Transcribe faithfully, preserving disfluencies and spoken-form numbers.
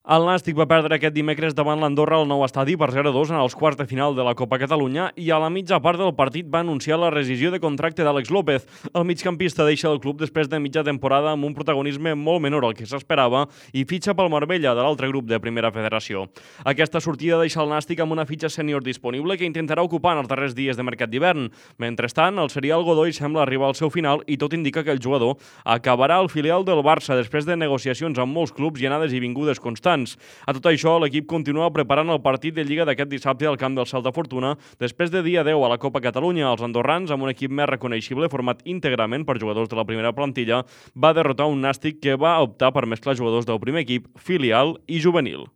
El Nàstic va perdre aquest dimecres davant l'Andorra al nou estadi per zero a dos en els quarts de final de la Copa Catalunya i a la mitja part del partit va anunciar la rescisió de contracte d'Àlex López. El migcampista deixa el club després de mitja temporada amb un protagonisme molt menor al que s'esperava i fitxa pel Marbella, de l'altre grup de Primera Federació. Aquesta sortida deixa el Nàstic amb una fitxa sènior disponible que intentarà ocupar en els darrers dies de mercat d'hivern. Mentrestant, el serial Godoy sembla arribar al seu final i tot indica que el jugador acabarà al filial del Barça després de negociacions amb molts clubs i anades i vingudes constants. A tot això, l'equip continua preparant el partit de Lliga d'aquest dissabte al camp del Celta Fortuna després de dia deu a la Copa Catalunya. Els andorrans, amb un equip més reconeixible format íntegrament per jugadors de la primera plantilla, va derrotar un Nàstic que va optar per mesclar jugadors del primer equip, filial i juvenil.